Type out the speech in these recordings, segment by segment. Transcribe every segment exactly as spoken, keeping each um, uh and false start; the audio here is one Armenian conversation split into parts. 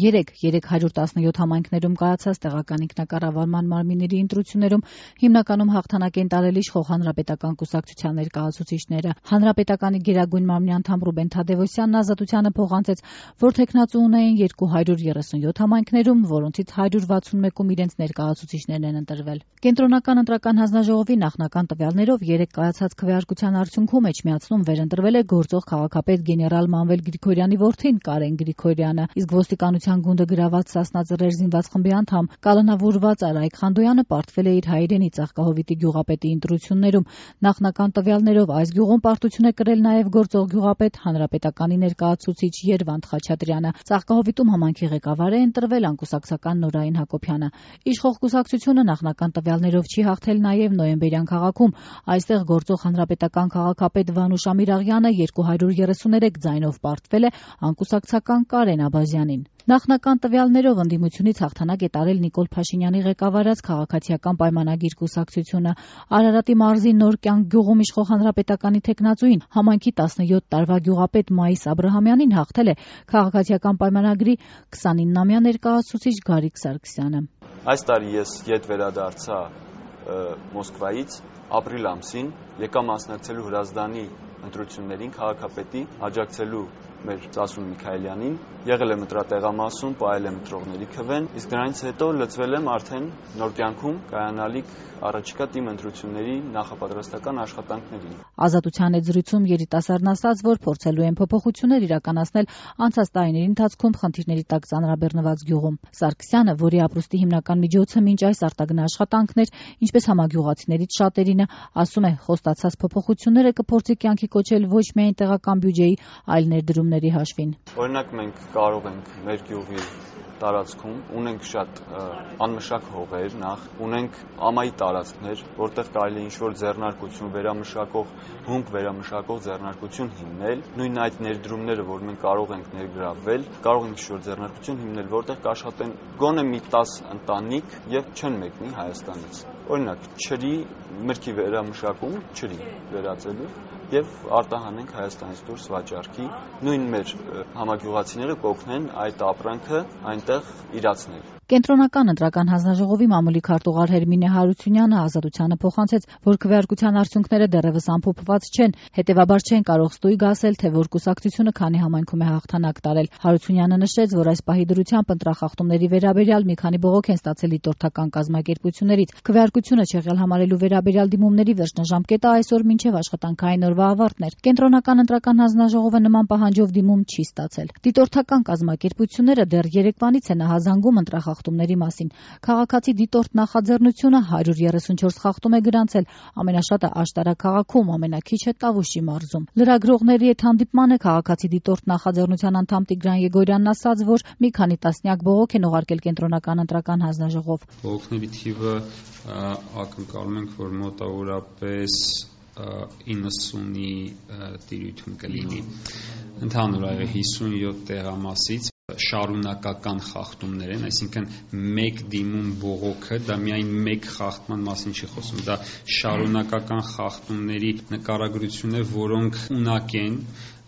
Երեկ երեք հարյուր տասնյոթ համայնքներում կայացած տեղական ինքնակառավարման մարմինների ընտրություններում հիմնականում հաղթանակ են տարել իշխող Հանրապետական կուսակցության ներկայացուցիչները։ Հանրապետականի Գերագույն մարմնի անդամ Ռուբեն Թադևոսյանն Ազատությանը փոխանցեց, որ թեկնածու ունեին երկու հարյուր երեսունյոթ համայնքներում, որոնցից հարյուր վաթսունմեկում իրենց ներկայացուցիչներն են ընտրվել։ Կենտրոնական ընտրական հանձնաժողովի նախնական տվյալներով երեկ կայացած քվեարկության արդյունքում Էջմիածնում վերընտրվել է գործող քաղաքապետ գեներալ Մանվել Գրիգորյանի որդին Կարեն Գրիգորյանը, իսկ ոստիկանության գունդը գրաված Սասնա Ծռեր զինված խմբի անդամ կալանավորված Արայք Խանդոյանը պարտվել է իր հայրենի Ծաղկահովիտի գյուղապետի ընտրություններում։ Նախնական տվյալներով այս գյուղում պարտություն է կրել նաև գործող գյուղապետ Հանրապետականի ներկայացուցիչ Երվանդ Խաչատրյանը։ Ծաղկահովիտում համայնքի ղեկավար է ընտրվել անկուսակցական Նորային Հակոբյանը։ Իշխող կուսակցությունը նախնական տվյալներով չի հաղթել նաև Նոյեմբերյան քաղաքում։ Այստեղ գործող հանրապետական քաղաքապետ Վանուշ Ամիրաղյանը երկու հարյուր երեսուներեք ձայնով պարտվել է անկուսակցական Կարեն Աբազյանին։ Նախնական տվյալներով ընդդիմությունից հաղթանակ է տարել Նիկոլ Փաշինյանի ղեկավարած Քաղաքացիական պայմանագիր կուսակցությունը։ Արարատի մարզի Նոր կյանք գյուղում իշխող հանրապետականի թեկնածուին համայնքի տասնյոթ տարվա գյուղապետ Մայիս Աբրահամյանին հաղթել է Քաղաքացիական պայմանագրի քսանինամյա ներկայացուցիչ Գարիկ Սարգսյանը։ Այս տարի ես ետ վերադարձա Մոսկվայից ապրիլ ամսին, եկա մասնակցելու Հրազդանի ընտրություններին քաղաքապետի, աջակցելու մեր Ծասուն Միքայելյանին, եղել եմ ընտրատեղամասում, պահել եմ ընտրողների քվեն, իսկ դրանից հետո լծվել եմ արդեն Նոր կյանքում կայանալիք առաջիկա թիմ ընտրությունների նախապատրաստական աշխատանքներին։ Ազատության հետ զրույցում երիտասարդն ասաց, որ փորձելու են փոփոխություններ իրականացնել անցած տարիների ընթացքում խնդիրների տակ ծանրաբեռնված գյուղում։ Սարգսյանը, որի ապրուստի հիմնական միջոցը մինչ այս արտագնա աշխատանքն էր, ինչպես համագյուղացիներից շատերինը, ասում է, խոստացած փոփոխությունները կփորձի կյանքի կոչել ոչ միայն տեղական բյուջեի, այլ ներդրումների հաշվին։ Օրինակ մենք կարող ենք մեր գյուղի տարածքում ունենք շատ անմշակ հողեր, նախ ունենք ամայի տարածքներ, որտեղ կարելի է ինչ-որ ձեռնարկություն, վերամշակող, հումք վերամշակող ձեռնարկություն հիմնել, նույն այդ ներդրումները, որ մենք կարող ենք ներգրավվել, կարող ենք ինչ-որ ձեռնարկություն հիմնել, որտեղ կաշխատեն գոնե մի տաս ընտանիք եւ չեն մեկնի Հայաստանից։ Օրինակ, ջրի մրգի վերամշակում, ջրի վերածելու եւ արտահանենք Հայաստանից դուրս վաճառքի, նույն մեր համագյուղացիները կօգնեն այդ ապրանքը այնտեղ իրացնել։ Կենտրոնական ընտրական հանձնաժողովի մամուլի քարտուղար Հերմինե Հարությունյանը Ազատությանը փոխանցեց, որ քվեարկության արդյունքները դեռևս ամփոփված չեն, հետևաբար չեն կարող ստույգ ասել, թե որ կուսակցությունը քանի համայնքում է հաղթանակ տարել։ Հարությունյանը նշեց, որ այս պահի դրությամբ ընտրախախտումների վերաբերյալ մի քանի բողոք են ստացել դիտորդական կազմակերպություններից։ Քվեարկությունը չեղյալ համարելու վերաբերյալ դիմումների վերջնաժամկետը այսօր մինչև աշխատանքային օրվա ավարտն էր։ Կենտրոնական ընտրական հանձնաժողովը նման պահանջով դիմում չի ստացել։ Դիտորդական կազմակերպությունները դեռ երեկվանից են ահազանգում ընտրախախտումների մասին։ Քաղաքացի դիտորդ նախաձեռնությունը հարյուր երեսունչորս խախտում է գրանցել, ամենաշատը Աշտարակ քաղաքում, ամենաքիչը Տավուշի մարզում։ Լրագրողների հետ հանդիպմանը քաղաքացի դիտորդ նախաձեռնության անդամ Տիգրան Եգորյանն ասաց, որ մի քանի տասնյակ բողոք են ուղարկել Կենտրոնական ընտրական հանձնաժողով։ Բողոքների թիվը ակնկալում ենք, որ մոտավորապես իննսունի տիրույթում կլինի։ Ընդհանուր այո հիսունյոթ տեղամասից շարունակական խախտումներ են, այսինքն մեկ դիմում բողոքը դա միայն մեկ խախտման մասին չի խոսում, դա շարունակական խախտումների նկարագրություն է, որոնք ունակ են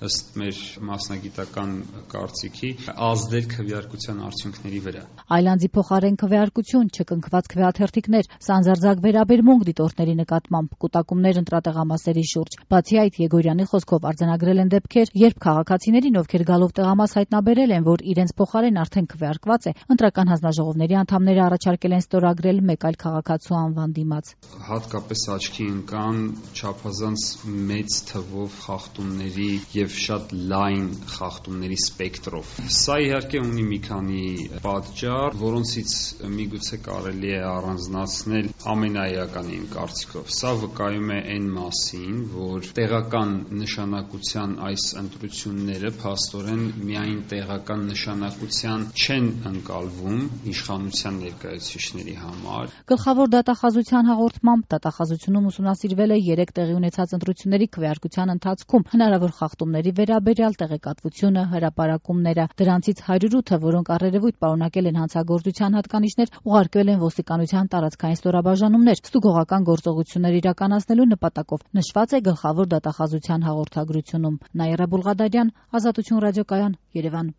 ըստ մեր մասնագիտական կարծիքի ազդել քվեարկության արդյունքների վրա։ Այլանդի փոխարեն քվեարկություն, չկնքված քվեաթերթիկներ, սանձարձակ վերաբերմունք դիտորդների նկատմամբ, կուտակումներ ընտրատեղամասերի շուրջ։ Բացի այդ, Եգորյանի խոսքով արձանագրել են դեպքեր, երբ քաղաքացիներին, ովքեր գալով տեղամաս հայտնաբերել են, որ իրենց փոխարեն արդեն քվեարկված է, ընտրական հանձնաժողովների անդամները առաջարկել են ստորագրել մեկ այլ քաղաքացու անվան դիմաց։ Հատկապես աչքի ընկան չափազանց մեծ թվով խախտումների եւ շատ լայն խախտումների սպեկտրով։ Սա իհարկե ունի մի քանի պատճառ, որոնցից միգուցե կարելի է առանձնացնել ամենաէականը իմ կարծիքով։ Սա վկայում է այն մասին, որ տեղական նշանակության այս ընտրությունները փաստորեն միայն տեղական նշանակության չեն ընկալվում իշխանության ներկայացուցիչների համար։ Գլխավոր դատախազության հաղորդմամբ դատախազությունում ուսումնասիրվել է երեք տեղի ունեցած ընտրությունների քվեարկության ընթացքում հնարավոր խախտումների վերաբերյալ տեղեկատվությունը, հրապարակումները։ Դրանցից հարյուր ութը, որոնք առերևույթ պարունակել են հանցագործության հատկանիշներ, ուղարկվել են ոստիկանության տարածքային ստորաբաժանումներ, ստուգողական գործողություններ իրականացնելու նպատակով, նշված է գլխավոր դատախազության հաղորդագրությունում։ Նաիրա Բուլղադարյան, Ազատություն ռադիոկայան, Երևան։